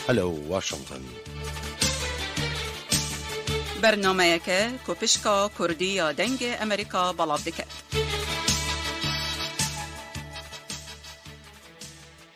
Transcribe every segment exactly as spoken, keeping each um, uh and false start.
Hello Washington. Bernameyeke ku pişka Kurdî ya Dengê Amerîka belav dike.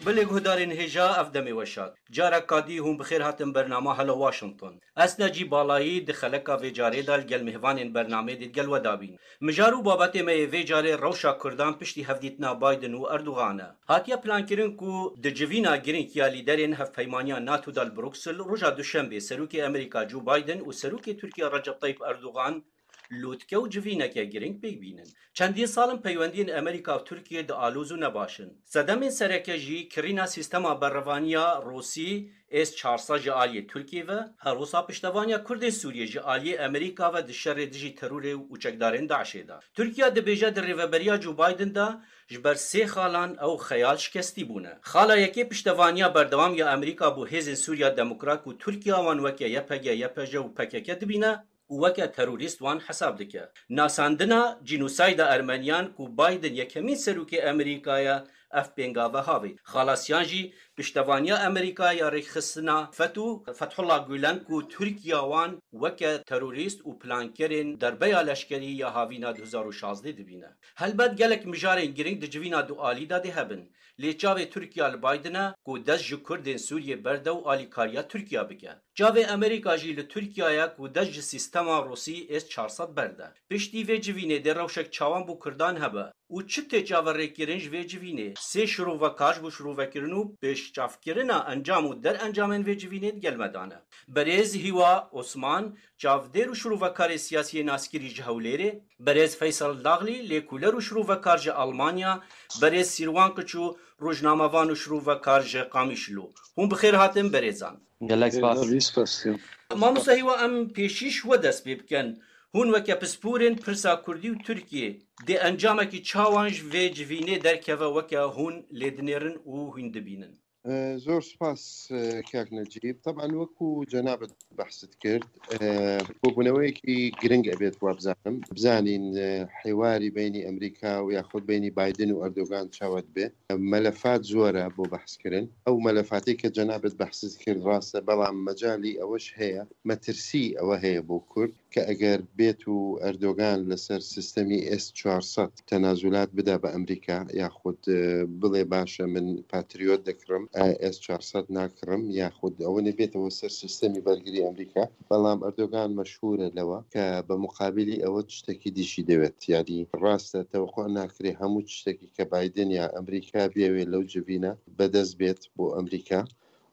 Belê guhdarên hêja, ev demê weşak. Careka dî hûn bi xêr hatin bernama Hello Washington. Ez Necî Balayî di xeleka vê carê de li gel mêvanên bernamê dê digel we dabîn. Mijar û babetê me yê vê carê rewşa Kurdan piştî hevdîtina Biden û Erdogan e. Hatiye plankirin ku di civîna girîng ya lîderên hevpeymaniya NATO de li Bruksel roja Duşembê serokê Amerîka Joe Biden û serokê Tirkiye Recep Tayyip Erdogan lûtke û civîneke girîng pêk bînin. Çendîn sal in peywendiyên Amerîka û Tirkiye dialoz û nebaş in. Sedemên sereke jî kirîna sîstema berevaniya Rûsî S çar sed ji aliyê Tirkiye ve, her wisa piştevaniya Kurdên Sûriyê ji aliyê Amerîka ve di şerê dijî terorê û çekdarên DAIŞê de. Tirkiye dibêje di rêveberiya Joe Biden de ji ber sê xalan ew xeyal şikestî bûne. Xala yekê piştevaniya berdewam ya Amerîka bo Hêzên Sûriya Demokrat ku Tirkiye wan weke Y P G, Y P J û P K K dibîne, û weke terorîst wan hesab dike. Nasandina cînosayda Ermeniyan ku Biden yekemîn serokê Amerîka ye, ev pêngave havêt. Xalasiyan jî piştevaniya Amerîka ya rêkxistina FETÖ, Fethullah Gulen ku Tirkiya wan weke terorîst û plankerên derbeya leşkerî ya havîna du hezar û şazdeh dibîne. Helbet gelek mijarên girîng di civîna du alî de dê hebin. Lê çavê Tirkiya li Biden e ku dest ji Kurdên Sûriyê berde û alîkariya Tirkiya bike. Çavê Amerîka jî li Tirkiya ye ku dest ji sîstema Rûsî S çar sed berde. Piştî vê civînê dê rewşek çawan bo Kurdan hebe û çi tê çaverêkirin ji vê civînê? Sê şirovekar ji bo şirovekirin û pêşçavkirina encam û derencamên vê civînê digel me de ne. Berêz Hîwa Osman, çavdêr û şirovekarê siyasî yê naskirî ji Hewlêrê, berêz Feysel Daxlî, lêkoler û şirovekar ji Almanya, berêz Sîrwan Kiçû, rojnamevan û şirovekar ji Qamişlo. Hûn bi xêr hatin berêzan. Gelek spas. Zor spas. Mamosta Hîwa, em pêşî ji we dest pê bikin. Hûn weke pisporên pirsa Kurdî û Tirkiyê dê encamekî çawan ji vê civînê derkeve weke hûn lê dinêrin û hûn dibînin? Ee, Zor spas e, kak Necîb. Taban wekû cenabet behsit kir, e, kobûneweyekî giring ebêt wa bizanim. Bizanîn e, hêwarî beynî Amerîka û yaxud beynî Biden û Erdogan çawa dibe. Melefat zor e bo behs kirin. Ew melefatê ke cenabet behsit kir rast e, belam mecalî eweş heye, metirsî ewe heye bo Kurd ke eger bêt û Erdogan li ser sistemî S çar sed tenazulat bide bi Amerîka, yaxud e, bile baş e min Patriot dikirim, e, S çar sed nakirim, yaxud ew nê bêtewe ser sistemî bergirî Amerîka. Belam Erdogan meşhûr e lewa ke bi muqabilî ewe tiştekî dî jî dewet. Yanî rast e, tewequ nakirê hemû tiştekî ke Biden ya Amerîka biyewê lew civîne bedest bêt bo Amerîka.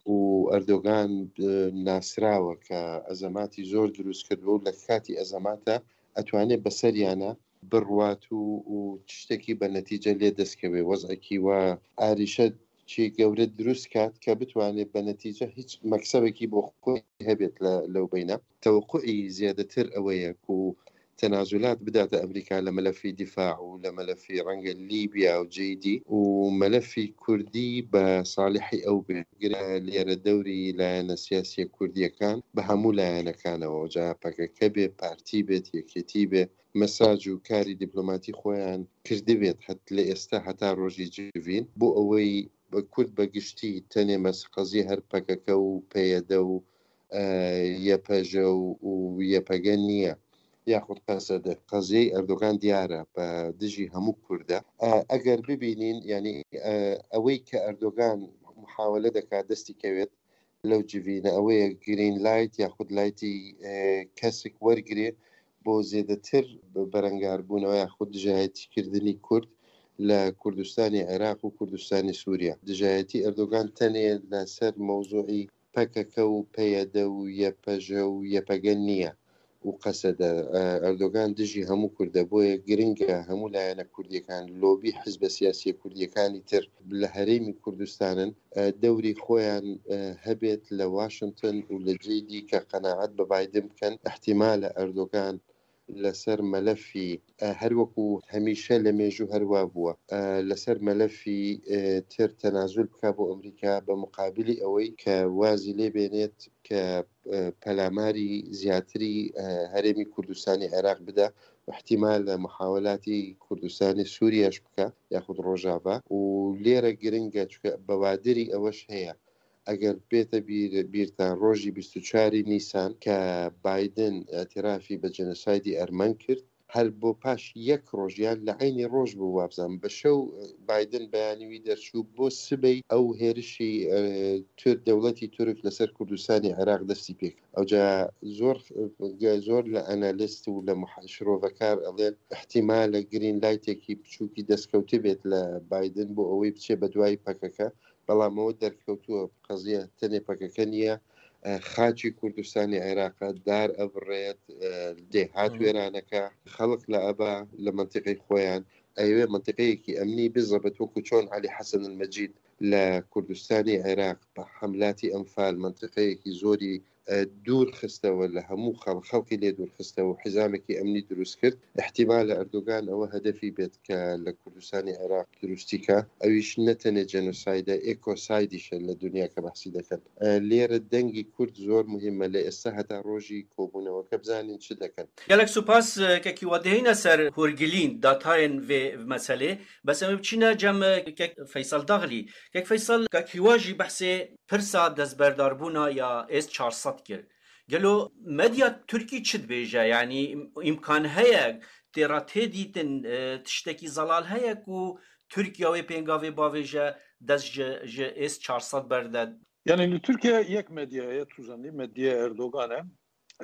Û Erdogan e, nasrawe ke ezematî zor dirûst kirdibe û li katî ezemata etwanê beseriyane birwat û, û tiştekî be netîce lê dest keve. Wezekî wa arîşe çî gewre dirûst kat ke bitwanê be netîce hîç meksebekî bo xwe hebêt le, lew beyne. Teweqûî zêdetir ewe ye ku tenazulat bidate Amerîka li melefî dîfa û li melefî renge Lîbya û cihê dî û melefî Kurdî bi salihî ew bê. Gire lêre dewrî layene siyasiye Kurdiyekan bi hemû layenekan e, oca P K K bê, partî bêt, yekêtî bê, mesaj û karî dîplomatî xweyan kirdibêt het li êsta heta rojî civîn. Bo ewey Kurd be giştî tenê mes qezî her P K K û P Y D û e, Y P J û, û Y P G niye. Yaxud Q S D. Qeziyê Erdogan diyar e, bi dijî hemû Kurd e. E, eger bibînîn, yanî e, ewey ke Erdogan muhawele deka destî kewêt lew civîne, ew ê green light yaxud lightî e, kesik wergirê bo zêdetir berengarbûnewe yaxud dijayetîkirdinî Kurd li Kurdistanê Iraq û Kurdistanê Sûriye. Dijayetî Erdogan tenê li ser mewzûî P K K û P Y D û Y P J û Y P G niye û Q S D. E, Erdogan dijî hemû Kurd e, boye giring e hemû layene Kurdiyekan, lobî hizbe siyasiye Kurdiyekanî tir li herêmî Kurdistanin e, dewrî xweyan e, hebêt li Washington û li cihê dî ke qenaet bi Biden bikin, ihtimal e Erdogan li ser melefî, e, her wekû hemîşe li mêjû her wa bûye, e, li ser melefî e, tir tenazul bike bo Amerîka, bi muqabilî ewey ke wazî lê bênêt ke e, pelamarî ziyadtirî e, herêmî Kurdistanê Iraq bide, ihtimal e muhawelatî Kurdistanê Sûriye jî bike, yaxud Rojava. Û lêre giring e, çunke bewadirî eweş heye. ئەگەر بێتە بیر، بیرتان ڕۆژی بیست و چواری نیسان کە بایدن ئەتیرافی بە جێنۆسایدی ئەرمەن کرد، هەر بۆ پاش یەک ڕۆژ یان لە عینی ڕۆژ بوو، وابزانم بە شەو بایدن بەیانیوی دەرچوو، بۆ سبەی ئەو هێرشی تور دەوڵەتی تورک لەسەر کوردستانی عێراق دەستی پێک. ئەوجا زۆر زۆر لە ئەنالیست و لە شرۆڤەکار ئەڵێن احتیمالە گرین لایتێکی بچووکی دەستکەوتێ بێت لە بایدن بۆ ئەوەی بچێ بە دوای پەکەکە، بەڵام ئەوە دەرکەوتووە قەزیە تەنێ پەکەکە نییە. خاچی کوردستانی عێراقە دار ئەبڕێت، دێهات وێرانەکە، خەڵک لە ئەبا لە منتیقی خۆیان ئەیوێ منتیقەیەکی ئەمنی بزەبێت، وەکو چۆن علی حەسەن المەجید لە کوردستانی عێراق بە حملاتی ئەنفال منتیقەیەکی زۆری دوور خستەوە لە هەموو خەڵ، خەڵکی لێ دوور خستەوە و حیزامێکی ئەمنی دروست کرد. احتیمالە ئەردوگان ئەوە هەدەفی بێت کە لە کوردستانی عێراق دروستی کە ئەویش نەتەنێ جێنۆسایدە، ئێکۆسایدیشە لە دنیا کە بەحسی دەکەن. لێرە دەنگی کورد زۆر مهمە لە ئێستا هەتا ڕۆژی کۆبوونەوەکە بزانین چ دەکەن. Gelek spas. Kekî we dihêne ser hûrgilîn datayên vê meselê. Bes em ê biçîne cem kek Feysel Daxlî. Kek Feysel, kek Hîwa jî behsê pirsa destberdarbûna ya S çar sed kir. Gelo medya Tirkî çi dibêje? Yanî îmkan heye, tê re tê dîtin, tiştekî zelal heye ku Tirkiye wê pêngavê bavêje dest ji, ji S çar sed berde? Yanî li Tirkiye yek medya heye, tu zanî, medyaya Erdogan e.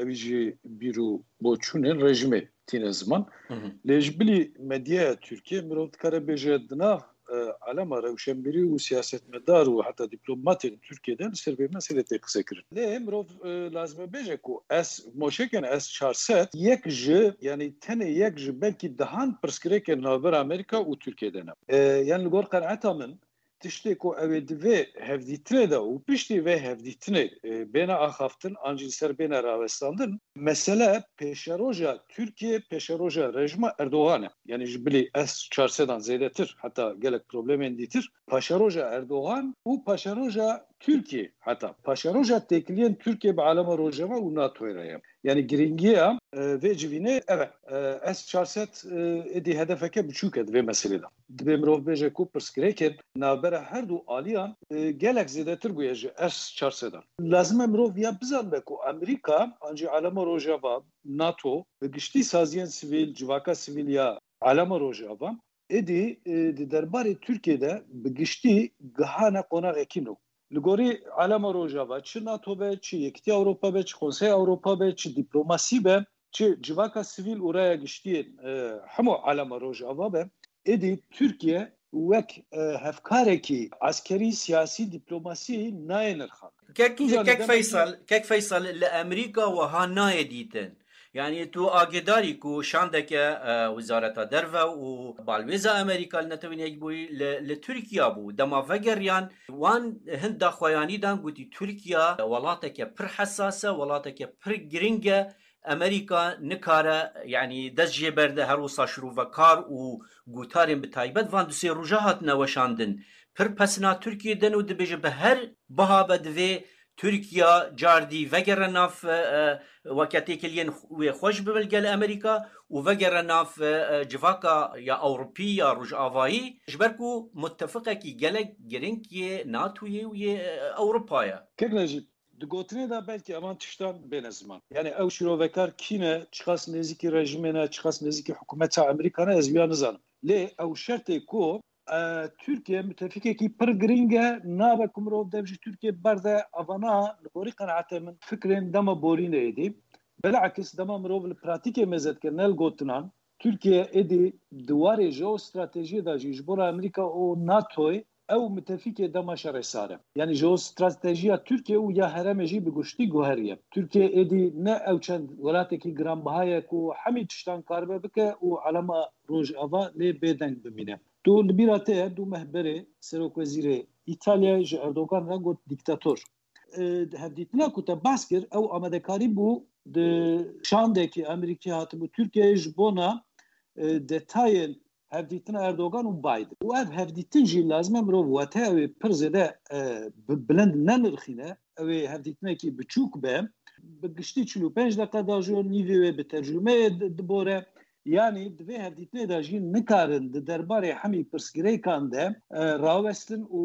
Ewî jî bîr û boçûnên rejîmê tîne ziman. Lê ji bilî medyaya Tirkiye mirov dikare bêje di nav e, alema rewşenbîrî û siyasetmedar û heta dîplomatên Tirkiyê de li ser vê meselê tê qisekirin. Lê mirov e, lazim e bêje ku S, moşekên S çar sed yek ji, yanî tenê yek ji belkî dehan pirsgirêkên navbera Amerîka û Tirkiyê de ne. E, yanî li gor qenaeta min, tiştê ku ew ê di vê hevdîtinê de û piştî vê hevdîtinê e, bêne axaftin an jî li ser bêne rawestandin, mesele pêşeroja Tirkiye, pêşeroja rejîma Erdogan e. Yanî ji bilî S çar sedan zêdetir, heta gelek problemên dîtir, paşeroja Erdogan û paşeroja Tirkiye, heta paşeroja têkiliyên Tirkiye bi alema Rojava û NATOyê re ye. Yanî girîngiya e, vê civînê ev e. E, S çar sed e, êdî hedefeke biçûk e di vê meselê de. Divê mirov bêje ku pirsgirêkên navbera her du aliyan e, gelek zêdetir bûye ji S çar sedan. Lazim e mirov ya bizanbe ku Amerîka an jî alema Rojava, NATO, bi giştî saziyên sivîl, civaka sivîl ya alema Rojava, êdî e, di derbarê Tirkiyê de bi giştî gihane qonaxekî nû. Li gorî alema Rojava, çi NATO be, çi Yekîtiya Ewropa be, çi Konseya Ewropa be, çi dîplomasî be, çi civaka sivîl û raya giştiyên e, hemû alema Rojava be, êdî Tirkiye wek e, hevkarekî eskerî, siyasî, dîplomasî nayê nirxandin. Kek, Tî zanî kek demekî- Feysel, kek Feysel li Amerîka wiha nayê dîtin. Yanî tu agêdarî ku şandeke e, Wizareta Derve û balwêza Amerîka li Netewên Yekbûyî li, li Tirkiya bû. Dema vegeriyan wan hin daxuyanî dan, gotî Tirkiya welateke pir hesas e, welateke pir giring e. Amerîka nikare, yanî dest jê berde, her wisa şirovekar û gotarên bi taybet van du sê roja hatine weşandin. Pir pesna Tirkiyê din û dibêje bi her biha be divê Tirkiya cardî vegere nav e, e, weke têkiliyên wê xweş bibe li gel Amerîka û vegere nav e, e, civaka ya Ewropî ya Rojavayî, ji ber ku muttefiqekî gelek giring yê NATOyê û yê e, Ewropa ye. Kek Necîb, di gotinê de belkî evan tiştan bêne ziman. Yanî ew şîrovekar kî ne, çiqas nêzîkî rejîmê ne, çiqas nêzîkî hikûmeta Amerîka ne, ez wiya nizanim. Lê ew şertê ku e, Tirkiye mutefîkekî pir girîng e, nabe ku mirov dev ji Tirkiye berde, evana li gorî qenaetê min fikrên dema borînê êdî. Bilakis dema mirov li pratîkê mêze dike, ne li gotinan, Tirkiye êdî di warê jeostratejiyê de jî ji bo re Amerîka û NATOyê ew mutefîkê dema şerê sar e. Yanî jeostratejiya Tirkiye û ya herêmê jî bi guştî guheriye. Tirkiye êdî ne ew çend welatekî giranbiha ye ku hemî tiştan karibe bike û alema Rojava lê bêdeng bimîne. Tu li bîra te ye, du meh berê Serokwezîrê Îtalyayê ji Erdogan re got dîktator. E, hevdîtina ku te behs kir, ew amadekarî bû di şandekî Amerîkî hatibû Tirkiyeyê ji bona e, detayên hevdîtina Erdogan û Biden. Û ev hevdîtin jî lazim e mirov wate ew ê pir zêde e, bi bilind nenirxîne, ew ê hevdîtinekî biçûk be, bi giştî çil û pênc deqe dajo, nîvê wê bi tercumeyê di- dibore. Yanî di vê hevdîtinê de jî nikarin di derbarê hemî pirsgirêkan de e, rawestin û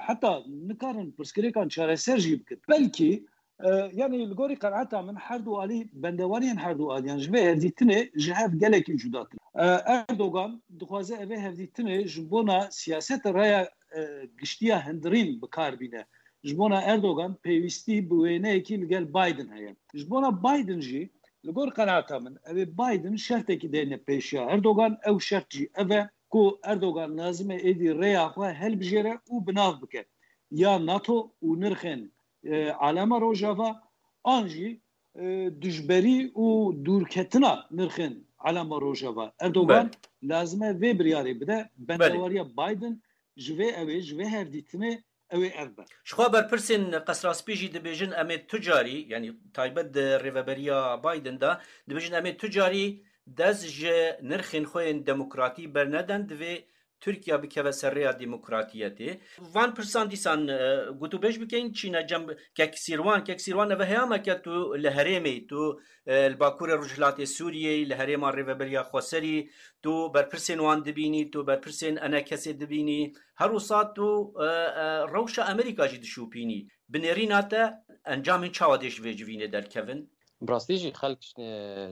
heta nikarin pirsgirêkan çareser jî bikin. Belkî e, yanî li gorî qenaeta min her du alî bendewariyên her du aliyan ji vê hevdîtinê ji hev gelekî cuda tune. E, Erdogan dixwaze ev ê hevdîtinê ji bona siyaseta raya e, giştiya hundirîn bi kar bîne. Ji bona Erdogan pêwîstî bi wêneyekî li gel Biden heye. Ji bona Biden jî li gor qenaeta min ew ê Biden şertekî deyne pêşiya Erdogan. Ew şert jî ev e ku Erdogan lazim e êdî rêya xwe helbijêre û bi nav bike ya NATO û nirxên e, alema Rojava an jî e, dijberî û dûrketina nirxên alema Rojava. Erdogan lazim e vê biryarê bide. Bendewariya Biden ji vê ew ê, ji vê hevdîtinê ew ê ev be. Jixwe berpirsên Qesra Spî jî dibêjin, em ê tu carî, yanî taybet di rêveberiya Biden de, dibêjin, em ê tu carî dest ji nirxên xwe yên demokratî bernedin, divê Tirkiye bikeve ser rêya demokratiyetê. Van pirsan dîsan e, gotûbêj bikeyin, çîne cem Kek Sîrwan. Kek Sîrwan, ev heyameke tu li herêmê, tu e, li bakurê rojhilatê Sûriyeyê, li herêma rêveberiya xweserî, tu berpirsên wan dibînî, tu berpirsên enekesê dibînî. Her wisa tu e, e, rewşa Amerîka jî dişopînî. Bi nêrîna te encamên çawa dê ji vê civînê derkevin? Bi rastî jî xelk ji,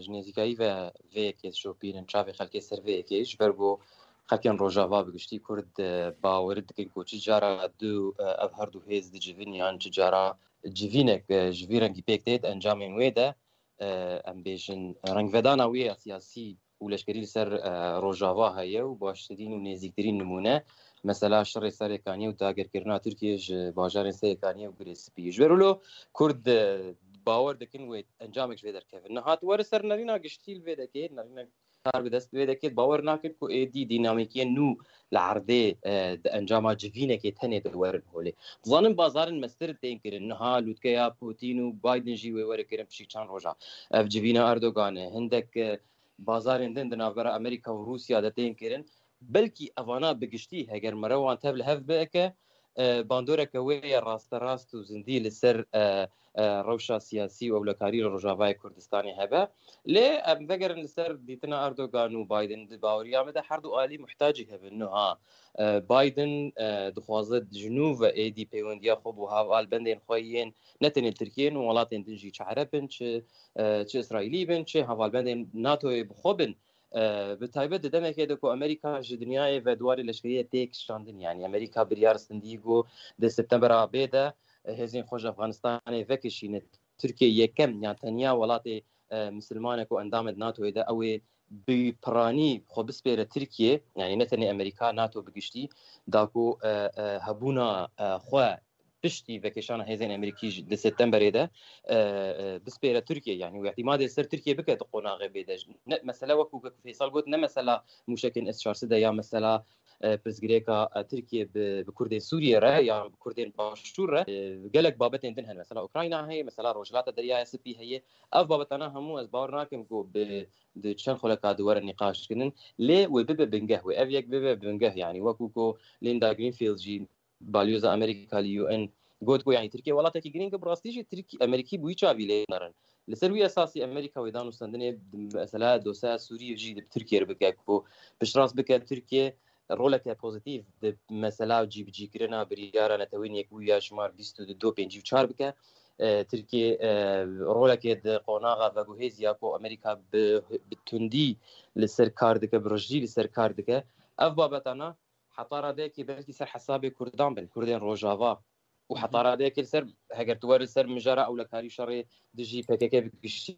ji nêzîkayî ve vê yekê dişopînin, çavê xelkê ser vê yekê, ji ber ku xelkên Rojava bi giştî Kurd e, bawer dikin ku çi cara du e, ev her du hêz dicivin yan çi cara civînek e, ji vî rengî pêk têt encamên wê de e, em bêjin, rengvedana wê ya siyasî û leşkerî li ser e, Rojava heye û baştirîn û nêzîktirîn nimûne, mesela şerê Serê Kaniyê û dagirkirina Tirkiyê ji bajarên Serê Kaniyê û Girê Spî. Ji ber wilo Kurd e, bawer dikin wê encamek ji vê derkevin. Niha tu were ser nerîna giştî li vê dekê, nerîna kar bi dest vê deket, bawer nakin ku êdî dînamîkiyên nû li erdê e, di encama civînekê tenê de werin holê. Dizanin bazarên mestir tên kirin. Niha lûtkeya Putin û Biden jî wê were kirin piştî çend roja. Ev civîna Erdogan e. Hindek e, bazarên din di navbera Amerîka û Rûsya de tên kirin. Belkî evana bi giştî, heger mere wan tev li hev bike, e, bandoreke wê ye rasterast û zindî li ser e, e, rewşa siyasî û ewlekarî li Rojavayê Kurdistanê hebe. Lê em vegerin li ser dîtina Erdogan û Biden, di baweriya me de her du alî muhtacî hebin. Niha e, Biden e, dixwaze ji nû ve êdî pêwendiya xwe bo hevalbendên xwe yên ne tenê Tirkiyê, nû welatên din jî, çi Ereb bin, çi e, çi Îsraîlî bin, çi hevalbendên NATOyê bi xwe bin. E, bi taybet di demekê de ku Amerîka ji dinyayê ve di warê leşkeriyê tê kişandin, yanî Amerîka biryar stendî ku di Septembera bê de e, hêzên xwe ji Afganistanê vekişîne. Tirkiye yekem yan tenya welatê e, misilman e ku endam e di NATOyê de, ew ê bi piranî xwe bispêre Tirkiye, yanî ne tenê Amerîka, NATO bi giştî, da ku e, e, hebûna e, xwe piştî vekişana hêzên Amerîkî jî di Septemberê de e, e, bispêre Tirkiye, yanî wê îtimadê li ser Tirkiye bike di qonaxê bê de. Ne, mesele wekû Kek Feysal got, ne mesela mûşekên S çar sed e ya mesela e, pirsgirêka e, Tirkiye bi, bi Kurdên Sûriye re ya bi Kurdên Başûr re. E, gelek babetên din hene. Mesela Ukrayna heye, mesela Rojhilata Deryaya Spî heye. Ev babetana hemû ez bawer nakim ku bi, di çend xuleka di were nîqaş kirin. Lê wê bibe bingeh, wê ev yek bibe bingeh, yanî wekû ku Linda Greenfield jî balyoza Amerîka li U N got ku, yanî Tirkiye welatekî girîng e, bi rastî jî Tirk-, Amerîkî bi wî çavî lê nerin. Li ser wî esasî Amerîka wê danûstendinê di mesela dosyaya Sûriyê jî di Tirkiye re bike ku piştrast bike Tirkiye roleke pozîtîf di mesela cîbicîkirina biryara Netewên Yekbûyî ya şimar bîst û du pêncî û çar bike. E, Tirkiye e, roleke di qonaxa veguhêz ya ku Amerîka bi, bi tundî li ser kar dike, bi rijî li ser kar dike. Ev babetana heta radeyekê belkî ser hesabê Kurdan bin, Kurdên Rojava. Û heta radeyekê li ser, heger tu were li ser mijara ewlekarî şerê dijî P K K bi giştî,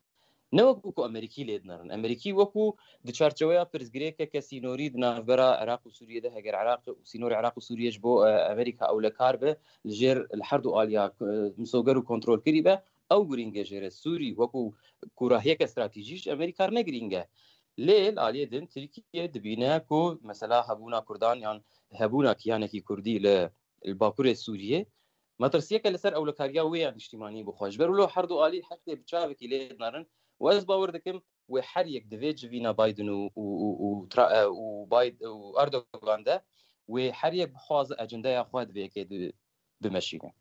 ne wekû ku Amerîkî lê dinerin. Amerîkî wekû di çarçeweya pirsgirêkeke sînorî di navbera Iraq û Sûriyê de, heger Iraq û sînorê Iraq û Sûriyê ji bo e, Amerîka ewlekar be, li jêr li her du aliya e, misoger û kontrolkirî be, ew girîng e jê re. Sûrî wekû kûrahiyeke stratejî ji Amerîka re ne girîng e. Lê li aliyê din Tirkiye dibîne ku mesela hebûna Kurdan yan hebûna kiyanekî Kurdî li, li Bakurê Sûriyê metirsiyeke li ser ewlekariya wê ya niştîmanî bixwe. Ji ber wilo her du alî heftê bi çavekî lê dinerin û ez bawer dikim wê her yek di vê civîna Biden û, û, û, û, Tra-, e, û, Bid-, û Erdogan de wê her yek bixwaze ecendeya xwe di vê yekê di, bimeşîne.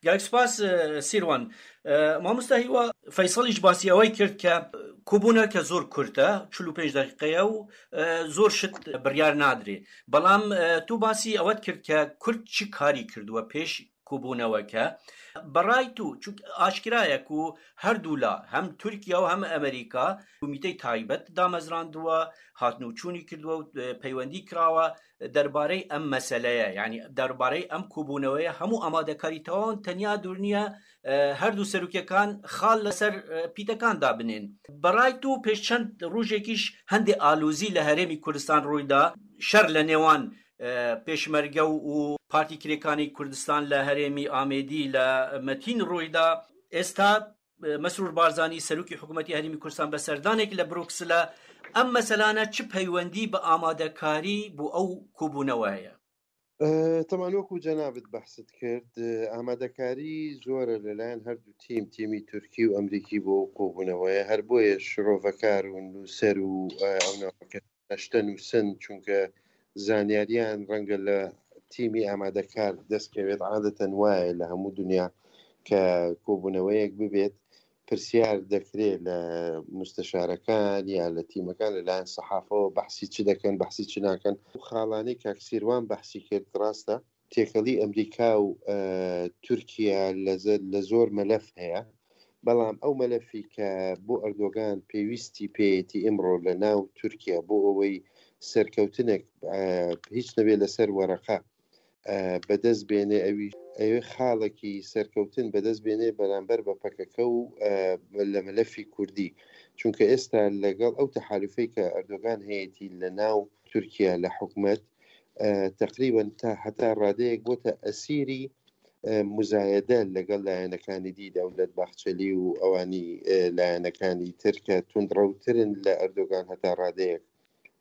Gelek spas, e, Sîrwan. E, mamosta Hîwa, Feysalî ji basî ewey kir ke kobûneke zor kurt e, çil û pênc deqîqe ye û, e, zor şit biryar nadirê. Belam, e, tu basî ewe kir ke kurt çi karî kirduwe pêş kobûneweke. Bi ray tu, çunke aşkira ye ku her du la, hem Tirkiye û hem Amerîka, komîteyê taybet damezrandiwe, hatnûçûnî kirdiwe û, e, peywendî kirawe derbarey em meseleye, yanî derbarey em kobûneweye hemû amadekarî tewawan tenya dûrniye, e, her du serokêkan xal li ser, e, pîtekan dabinên. Bi ray tu pêş çend rojekî ji hendê alozî li Herêmî Kurdistan rûy da, şer li nêwan, e, Pêşmerge û Partî Kirêkanî Kurdistan li Herêmî Amêdî li Metîn rûy da. Êsta, e, Mesrûr Barzanî, serokê hikûmetî Herêmî Kurdistan, bi serdanekî li Bruksela, em meselane çi peywendî bi amadekarî bo ew kobûnewe heye? E, teman wekû cenabit behsit kir, e, amadekarî zor e li layen her du tîm, tîmî Tirkî û Amerîkî bo ew kobûneweye. Her boye şirovekar û nûser û, e, ew naveke neşte nûsin, çunke zanyariyan renge li tîmî amadekar dest kevêt. Adeten waye li hemû dinya ke kobûneweyek bibêt, pirsyar dekirê li musteşarekan ya li tîmekan, li layen sehafe behsî çi dekin, behsî çi nakin. Xalanî kak Sîrwan behsî kir, rast e. Têkelî Amerîka û, e, Tirkiye li ze-, li zor melef heye. Belam ew melefî ke bo Erdogan pêwîstî pêyetî îmro li nav Tirkiye bo ewey serkewtinek, e, hîç nebe li ser wereqa, e, bi dest bêne, ewî, ewê xalekî serkewtin bi dest bêne beramber bi P K K û, e, li melefî Kurdî. Çunke êsta legel ew tehalufê ke Erdogan heyetî li nav Tirkiye li hikûmet, e, teqrîben ta heta radeyek bote esîrî, e, muzayede legel layenekanî dî, Dewlet Bahçelî û ewanî, e, layenekanî tir ke tundrewtir in li Erdogan heta radeyek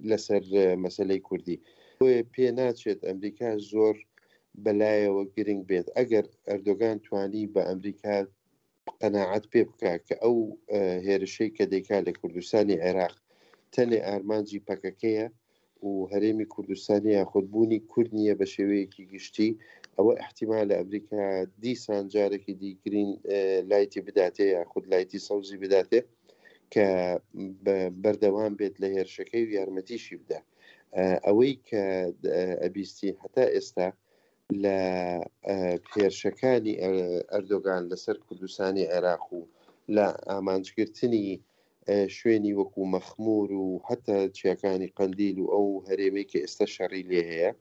li ser, e, meseleyê Kurdî. Wê pê naçêt Amerîka zor belayewe giring bêt. Eger Erdogan twanî bi Amerîka qenaet pê bike ke ew, e, hêrişey ke dêka li Kurdistanê Iraq tenê armancî P K K ye û Herêmî Kurdistanê yaxud bûnî Kurd niye bi şêweyekî giştî, ewe îhtîmal e Amerîka dîsan carekî dî green, e, lightî bidate yaxud lightî sewzî bidate ke be-, berdewam bêt li hêrişekê û yarmetî jî bide. E, ewey ke, e, ebîstî heta êsta li, e, hêrişekanî, e, Erdogan li ser Kurdistanê Iraq û li amancgirtinî, e, şwênî wekû Mexmûr û heta çiyakanî Qendîl û ew herêmê ke êsta şerî lê heye,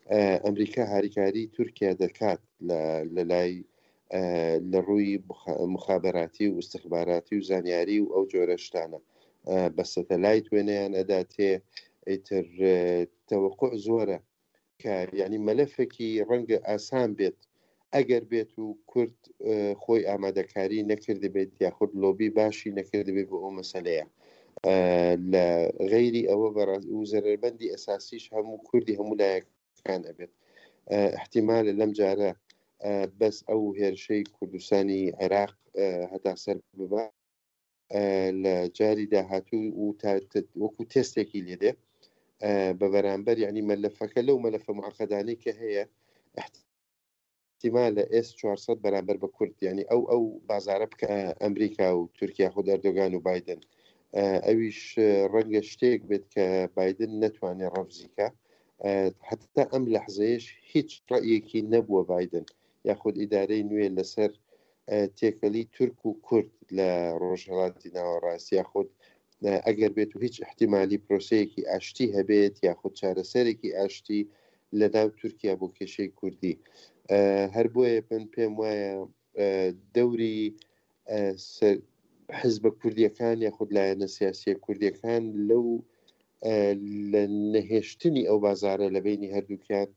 e, Amerîka harîkarî Tirkiye dikat li, li lay, e, li rûyî muxa-, muxaberatî û istixbaratî û zanyarî û ew cure ştane. E, bi satelayt wêneyan edatê, êtir, e, teweqû zor e ke, yanî, melefekî renge asan bêt, eger bêt û Kurd, e, xwê amadekarî nekirdi bêt yaxud lobî başî nekirdi bêt bi o meseleya. E, li xeyrî ewe ve rast û zererbendî esasî ji hemû Kurdî hemû layekan ebêt. E, îhtîmal e lem care, e, bes ew hêrişeyî Kurdistanî Iraq, e, heta ser bibe. E, li carî dahatû û ta-, te-, wekû testekî lê de, e, bi beramber, yanî melefeke lew melefe muaqqedanê ke heye, îhtîmal e S çar sed beramber bi Kurd, yanî ew, ew bazare bike, e, Amerîka û Tirkiye, xwe Erdogan û Biden. E, ewîş, e, renge ştêk bêt ke Biden netwanê refzî ke. E, heta em lehzeyê hîç reyekî nebûwe Biden, yaxud îdareyê nû yê li ser, e, têkelî Tirk û Kurd li Rojhelatî Nawerast, yaxud, e, eger bêt û hîç îhtîmalî proseyekî aştî hebêt, yaxud çareserekî aştî li nav Tirkiye bo kêşeyê Kurdî. E, her boye min pêm waye, e, dewrî, e, ser-, hizbe Kurdiyekân yaxud layene siyasiye Kurdiyekân lew, e, li nehêştinî ew bazare li beynî herdukiyan,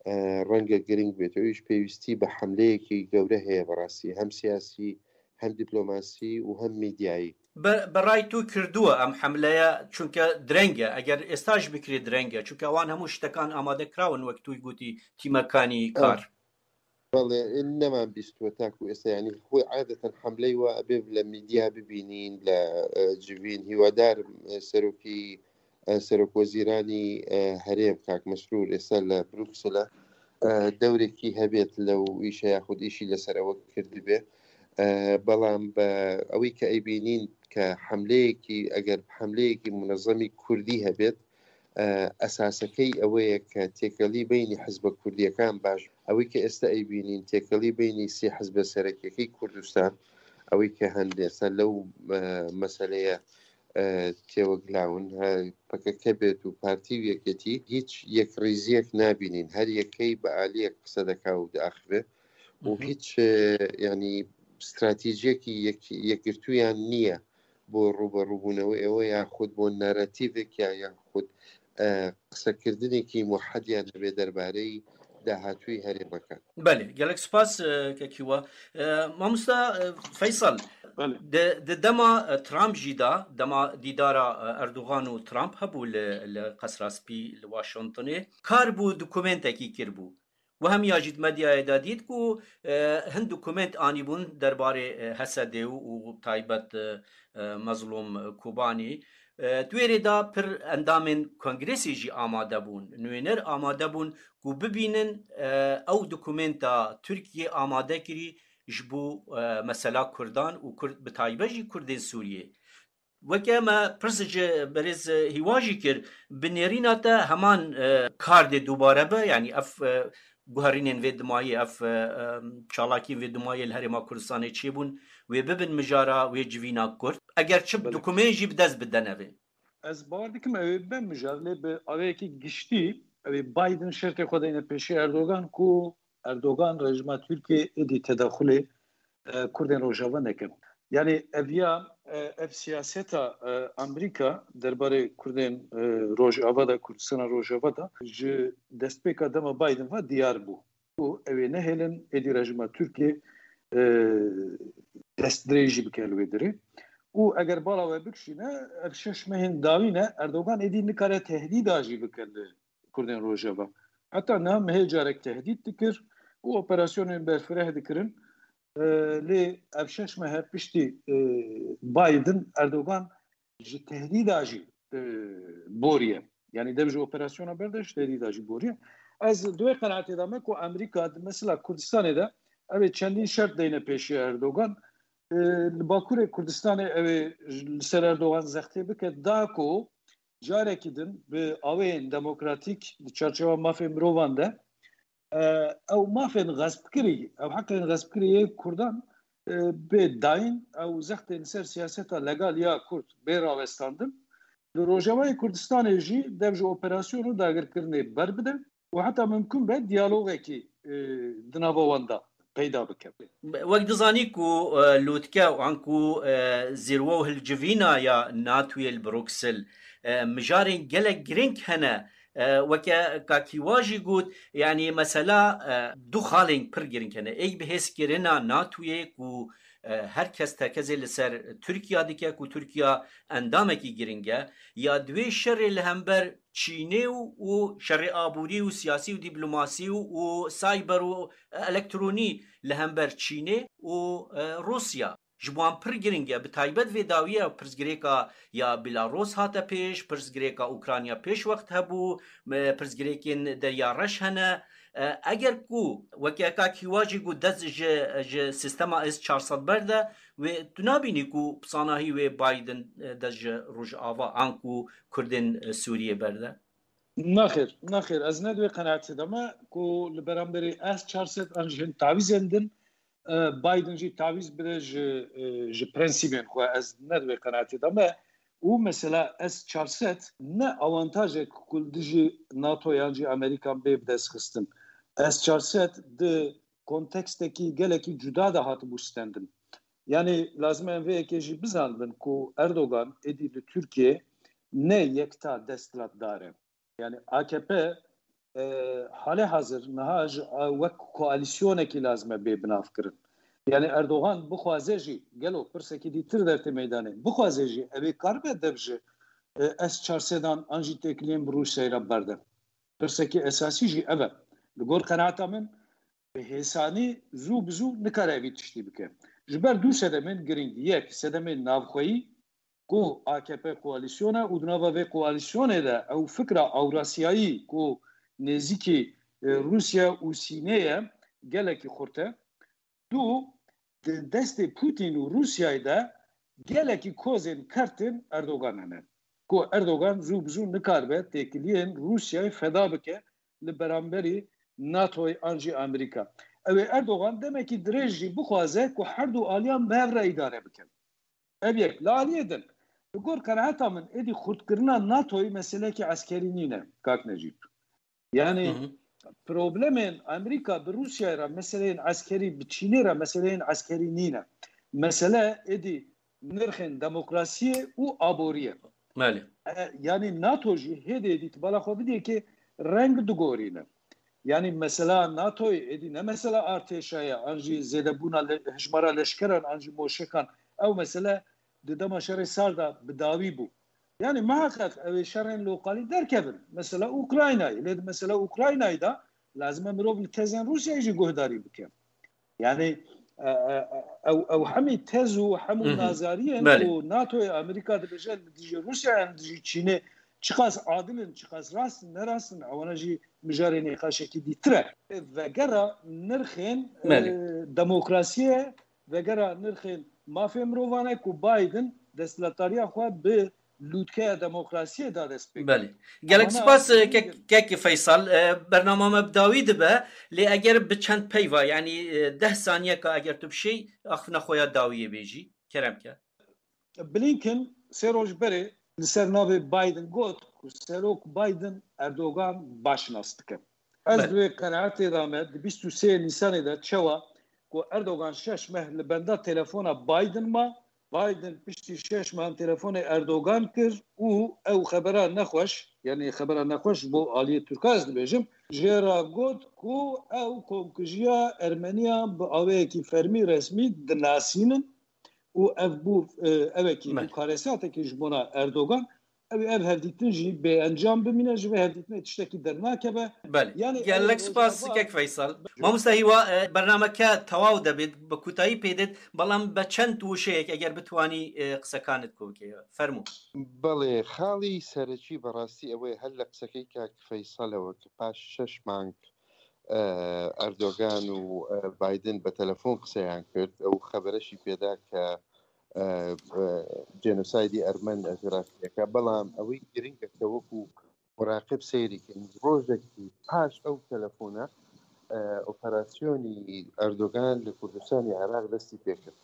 e, renge giring bêt. Ew jî pêwîstî bi hemleyekî gewre heye bi rastî. Hem siyasî, hem dîplomasî û hem mîdyayî. Bi, bi ray tu kirduwe em hemleye, çunke direng e. Eger êsta jî bikirê direng e. Çunke wan hemû ştekan amade kirawin, wek tu gotî, tîmekanî kar. Belê, neman bîstwe taku êsta, yanî xwe adeten hemleyê we ebê li mîdya bibînîn, li, e, civîn. Hîwadar im, e, serokî, e, serokwezîranî, e, herêm, kak Mesrûr, êsta li Bruksel e, دەورێکی هەبێت لەو ئیشە یاخود ئیشی لەسەر ئەوە کردبێ. بەڵام بە ئەوەی کە ئەیبینین کە حملەیەکی، ئەگەر حملەیەکی منەزەمی کوردی هەبێت، ئەساسەکەی ئەوەیە کە تێکەڵی بینی حزبە کوردیەکان باش. ئەوەی کە ئێستا ئەیبینین تێکەڵی بینی سێ حزبە سەرەکیەکەی کوردستان، ئەوەی کە هەندێسە لەو مەسلەیە تێوەگلاون، پەکەکە بێت و پارتی و یەکێتی، هیچ یەکڕیزیەک نابینین، هەر یەکەی بە ئالیەک قسە دەکا و داخبێ و هیچ ینی استراتیژیەکی یەکگرتویان نییە بۆ ڕوبەڕووبوونەوە ئێوە یاخود بۆ نەرەتیڤێک یا یاخود قسەکردنێکی موحەدیان هەبێ دەربارەی داهاتووی هەرێمەکان. بەێ، گەلێک سپاس کەکیوە. مامۆستا فەیسەڵ، di dema Trump jî de, dema dîdara Erdogan û Trump hebû li, li Qesra Spî li Washingtonê, kar bû dokumentekî kiribû. We hemiya jî di medyayê de dît ku hin dokument anîbûn derbarê H S D û taybet Mezlûm Kobanî. Di wê rê de pir endamên kongresê jî amade bûn, nûêner amade bûn ku bibînin ew dokumenta Tirkiyê amade kirî ji bo mesela Kurdan û Kurd, bi taybet jî Kurdên Sûriyê. Weke me pirs ji berêz Hîwa jî kir, bi nêrîna te heman kar dê dubare be, yanî ev guherînên vê dimayê, ev çalakiyên vê dimayê li Herêma Kurdistanê çêbûn, wê bibin mijara wê civîna Kurd. Eger çi dokumên jî bi dest bidene vê. Ez bawer dikim ew ê bibe mijar, lê bi awayekî giştî ew ê Biden şertê xwe deyne pêşî Erdogan ku Erdogan rejîma Tirkiyê êdî tedexulê Kurdên Rojava neke. Yanî ev ya, ev siyaseta Amerîka derbarê Kurdên Rojava de, Kurdistana Rojava de ji destpêka dema Biden ve diyar bû. Û ew ê nehêlin êdî rejîma Tirkiyê destdirêjî bike li wê derê. Û eger bala we bikişîne, ev şeş mehên dawî ne, Erdogan êdî nikare tehdîda jî bike li Kurdên Rojava. Heta niha mehê carek tehdît dikir û operasyonên berfireh dikirin. Lê ev şeş mehe piştî Biden, Erdogan ji tehdîda jî boriye. Yanî dev ji operasyona berde ji tehdîda jî boriye. Ez di wê qenaatê de me ku Amerîka di mesela Kurdistanê de ew ê çendîn şert deyne pêşiya Erdogan. Li Bakurê Kurdistanê ew ê li ser Erdogan zextê bike, da ku carekî din bi aweyên demokratîk di çarçewa mafê mirovan de ew mafên xespkirî, ew heqên xespkirî yê Kurdan bê dayîn, ew zextên ser siyaseta legal ya Kurd bê rawestandin. Li Rojavayê Kurdistanê jî dev ji operasyon û dagirkirinê berbide û heta mimkun be diyalogekî di nava wan de peyda bike. Wek dizanî ku lûtke û anku zîrwe û hilcivîna ya NATOyê li Bruksel mijarên gelek girîng hene. Weke Kak Hîwa jî got, yanî mesela du xalên pir girîng hene. Êk bi hêzkirina NATOyê ku her kes tekezê li ser Tirkiya dike ku Tirkiya endamekî girîng e. Ya di wê şerê li hember Çînê û, û şerê aborî û siyasî û dîplomasî û, û cyber û elektronî li hember Çînê û Rûsya. Ji bo wan pir girîng e, bi taybet vê dawiya pirsgirêka ya Belarus hate pêş, pirsgirêka Ukrayna pêş wext hebû, pirsgirêkên Derya Reş hene. Eger ku weke Kak Hîwa jî got dest ji, ji sîstema S çar sed berde, wê tu nabînî ku bi sanahî wê Biden dest ji Rojava anku Kurdên Sûriyê berde? Nexêr, nexêr. Ez ne di wê qenaetê de me ku li beramberî S çar sed an jî hin tavîzên din, Biden jî tavîz bide ji, ji prensîbên xwe. Ez ne di wê qenaetê de me. Û mesela S çar sed ne awantajek ku li dijî NATO yan jî Amerîkan bê bi dest xistin. S çar sed di kontekstekî gelekî cuda de hatibû stendin. Yanî lazim e em vê yekê jî bizanibin ku Erdogan êdî li Tirkiyê ne yekta desthilatdar e. Yanî A K P, e, hale hazir niha ji, e, wek koalîsyonekî lazim e bê binavkirin. Yanî Erdogan bixwaze jî, gelo pirsekî dîtir dertê meydanê, bixwaze jî ew ê karibe dev ji, e, S çar sedan an jî têkiliyên bi Rûsyayê re berde. Pirsekî esasî jî ev e. Li gor qenaeta min, bi hêsanî zû bi zû nikare vî tiştî bike. Ji ber du sedemên girîng. Yek, sedemên navxweyî ku A K P koalîsyon e û di nava vê koalîsyonê de ew fikra Ewrasiyayî ku nêzîkî, e, Rûsya û Sînê ye, gelekî xurt e. Du, di destê Putin û Rûsyayê de gelekî kozên kertên Erdogan hene. Ku Erdogan zû bi zû nikaribe têkiliyên Rûsyayê feda bike li beramberî NATOyê an jî Amerîka. Ew ê Erdogan demekî dirêj jî bixwaze ku her du aliyan bi hev re îdare bikin. Ev yek. Li aliyê din, li gor qenaeta min, êdî xurtkirina NATOyê meseleyekî eskerî nîne, kak Necîb. Yani problemên Amerîka bi Rûsyayê re meseleyên eskerî, bi Çînê re meseleyên eskerî nîne. Mesele êdî nirxên demokrasiyê û aboriyê. Belê. E, yani NATO jî hêdî hêdî tu bala xwe bidî ki reng digorîne. Yani mesela NATOyê êdî ne mesela artêşa ye, an jî zêdebûna le-, hejmara leşkeran, an jî moşekan. Ew mesele di dema şerê sar de bi dawî bû. Yani muhakkak ew ê şerên lokalî derkevin. Mesela Ukraynayê. Lê di mesela Ukraynayê de lazim e mirov li tezên Rûsyayê jî guhdarî bike. Yani, e, e, e, ew, ew hemî tez û hemû Hı hı. nazariyên Belê. ku NATOyê Amerîka dibêje li dijî Rûsya yan li dijî Çînê çiqas adil in, çiqas rast in, ne rast in, ewana jî mijarê nîqaşekî dîtir e. Vegera nirxên, e, Belê. demokrasiyê, vegera nirxên mafê mirovan e ku Biden desthilatdariya xwe bi lûtkeya demokrasiyê da dest pê kir. Belê. Gelek Ewana spas, e, hemî kek, kek Feysal. E, bernama me bi dawî dibe, lê eger bi çend peyva, yani, e, deh saniyeka eger tu bi şey axifina xwe ya dawiyê bêjî, kerem ke. Blinken sê roj berê li ser navê Biden got ku Serok Biden Erdogan baş nas dike. Ez Belê. di wê qenaetê de me di bîst û sê Nîsanê de çawa ku Erdogan şeş meh li benda telefona Biden ma, Biden piştî şeş mehan telefonê Erdogan kir û ew xebera nexweş, yani xebera nexweş ji bo aliyê Tirka ez dibêjim, jê re got ku ew komkujiya Ermeniyan bi aweyekî fermî resmî dinasînin û ev bû, e, evekî Me. bû karesateke ji bona Erdogan. Ew ê ev hevdîtin jî bê encam bimîne, ji vê hevdîtinê tiştekî dernakeve. Belê. Yani Gelek ew spas rojava kek Feysal. Mamoste Hîwa, e, bernameke tewaw debêt, bi kutayî pê dêt, belam be çend wişeyek eger bitwanî, e, qisekanit ku bike. Fermû. بەڵێ، خاڵی سەرەکی بەڕاستی ئەوەیە، هەر لە قسەکەی کاک فەیسەلەوە کە پاش شەش مانگ ئەردۆگان و بایدن بە تەلەفۆن قسەیان کرد، ئەو خەبەرەشی پێدا کە جێنۆسایدی ئەرمەن عێراقیەکە. بەڵام ئەوەی گرنگە کە وەکو مراقب سەیری کەین، ڕۆژێکی پاش ئەو تەلەفۆنە ئۆپەراسیۆنی ئەردۆگان لە کوردستانی عێراق دەستی پێکرد.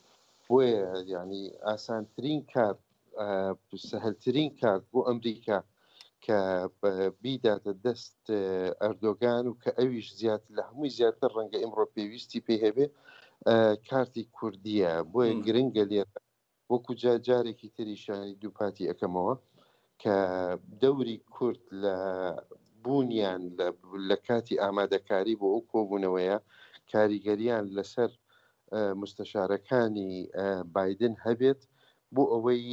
بۆیە یعنی ئاسانترین کار، سەهلترین کار بۆ ئەمریکا کە بیداتە دەست ئەردۆگان و کە ئەویش زیاتر لە هەمووی زیاتر ڕەنگە ئمڕۆ پێویستی پێ هەبێ، کارتی کوردیە. بۆیە گرنگە لێرە وەکو جارێکی تریشانی دووپاتی ئەەکەمەوە کە دەوری کورد لە بوونیان لە کاتی ئامادەکاری بۆ ئەو کۆبوونەوەیە کاریگەریان لەسەر مستەشارەکانی بایدن هەبێت، بۆ ئەوەی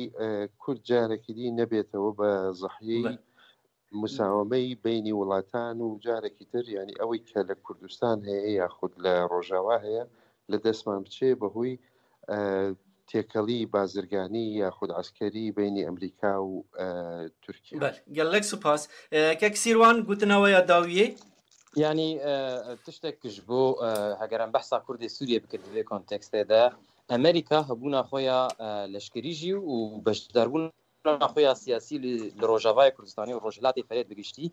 کورد جارێکی دی نەبێتەوە بە زەحیەی مساوەمەی بینی وڵاتان و جارێکی تر، یعنی ئەوەی کە لە کوردستان هەیە یاخود لە ڕۆژاوا هەیە، لە دەستمان بچێ بەهۆی تێکەڵی بازرگانی یاخود عسکەری بینی ئەمریکا و تورکیا. بەڵێ، گەلەک سوپاس. کەک سیروان گوتنەوەیە داویێ. یعنی، تشتێک ji bo, heger em behsa Kurdê Sûriyê bikin di vê kontekstê de, Amerîka hebûna xwe ya leşkerî jî û beşdarbûna xwe ya siyasî li, li Rojavayê Kurdistanê û Rojhilatê Ferê bi giştî,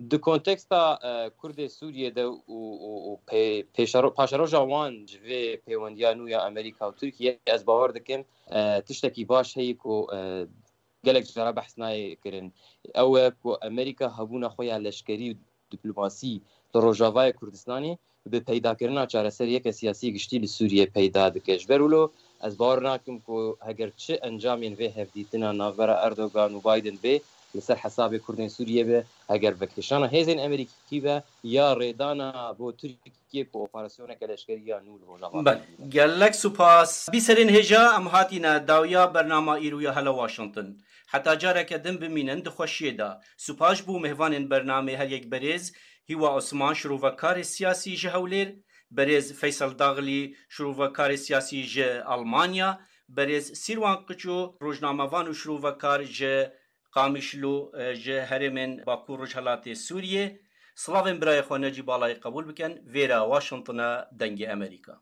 di konteksta Kurdê Sûriyê de û, û, û pê-, pêşero-, paşeroja wan ji vê pêwendiya nû ya Amerîka û Tirkiye, ez bawer dikim tiştekî baş heye ku gelek cara behs nayê kirin. Ew e ku Amerîka hebûna xwe ya leşkerî û diplomasî li Rojavayê Kurdistanê bi peydakirina çareseriyeke siyasî giştî li Sûriyê peyda dike. Ji ber wilo ez bawer nakim ku heger çi encamên vê hevdîtina navbera Erdogan û Biden bê, li ser hesabê Kurdên Sûriyê be, heger vekişana hêzên Amerîkî be ya rêdana bo Tirkiyê ku operasyoneke leşkerî ya nû li Rojava Belê. Gelek supas. Bîserên hêja em hatîne dawiya bernama îro ya Hello Washington. Heta careke din bimînin di xweşiyê de. Supas ji bo mêvanên bernamê her yek berêz Hîwa Osman, şirovekarê siyasî ji Hewlêr, berêz Feysel Daxilî, şirovekarê siyasî ji Almanya, berêz Sîrwan Qiço, rojnamevan û şirovekar ji Qamişlo, e, ji herêmên Bakur Rojhelatê Sûriyê, Silavên birayê xwe necî balayî qebûl bikin, vêra Washingtona Dengê Amerîka.